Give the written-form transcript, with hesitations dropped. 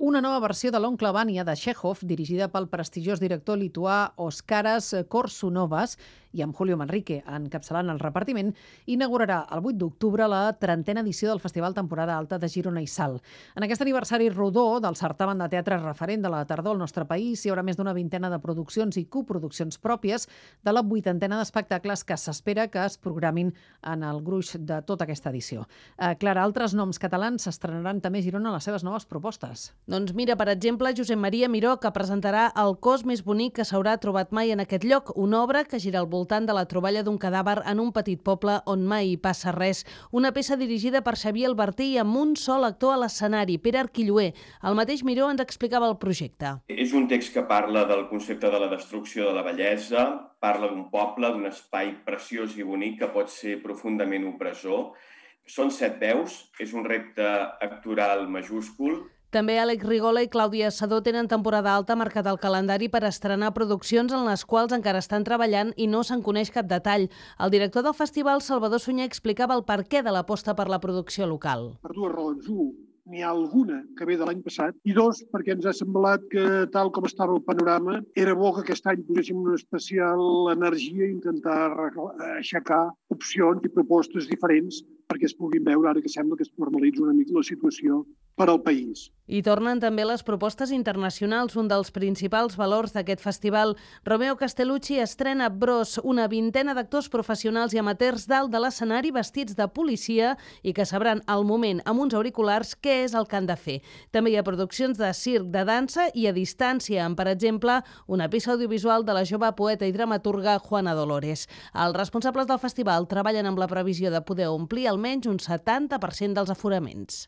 Una nova versió de l'Oncle Vanya de Chekhov, dirigida pel prestigiós director lituà Oskaras Koršunovas i amb Julio Manrique encapçalant el repartiment, inaugurarà el 8 d'octubre la 30a edició del Festival Temporada Alta de Girona i Salt. En aquest aniversari rodó del certamen de teatre referent de la tardor al nostre país, hi haurà més d'una vintena de produccions i coproduccions pròpies de la 80ena d'espectacles que s'espera que es programin en el gruix de tota aquesta edició. Clara, altres noms catalans s'estrenaran també a Girona les seves noves propostes. Doncs mira, per exemple, Josep Maria Miró, que presentarà El cos més bonic que s'haurà trobat mai en aquest lloc, una obra que gira al voltant de la troballa d'un cadàver en un petit poble on mai hi passa res. Una peça dirigida per Xavier Albertí i amb un sol actor a l'escenari, Pere Arquilloé. El mateix Miró ens explicava el projecte. És un text que parla del concepte de la destrucció de la bellesa, parla d'un poble, d'un espai preciós i bonic que pot ser profundament opressor. Són 7 veus, és un repte actoral majúscul. També Àlex Rigola i Clàudia Sadó tenen temporada alta marcat al calendari per estrenar produccions en les quals encara estan treballant i no se'n coneix cap detall. El director del festival, Salvador Sunyer, explicava el perquè de l'aposta per la producció local. Per dues raons. Un, n'hi ha alguna que ve de l'any passat, i dos, perquè ens ha semblat que, tal com estava el panorama, era bo que aquest any poséssim una especial energia i intentar aixecar opcions i propostes diferents perquè es puguin veure ara que sembla que es normalitza una mica la situació per al país. I tornen també les propostes internacionals, un dels principals valors d'aquest festival. Romeo Castellucci estrena Bros, una vintena d'actors professionals i amateurs dalt de l'escenari vestits de policia i que sabran al moment amb uns auriculars què és el que han de fer. També hi ha produccions de circ, de dansa i a distància, amb, per exemple, una peça audiovisual de la jove poeta i dramaturga Juana Dolores. Els responsables del festival treballen amb la previsió de poder omplir almenys un 70% dels aforaments.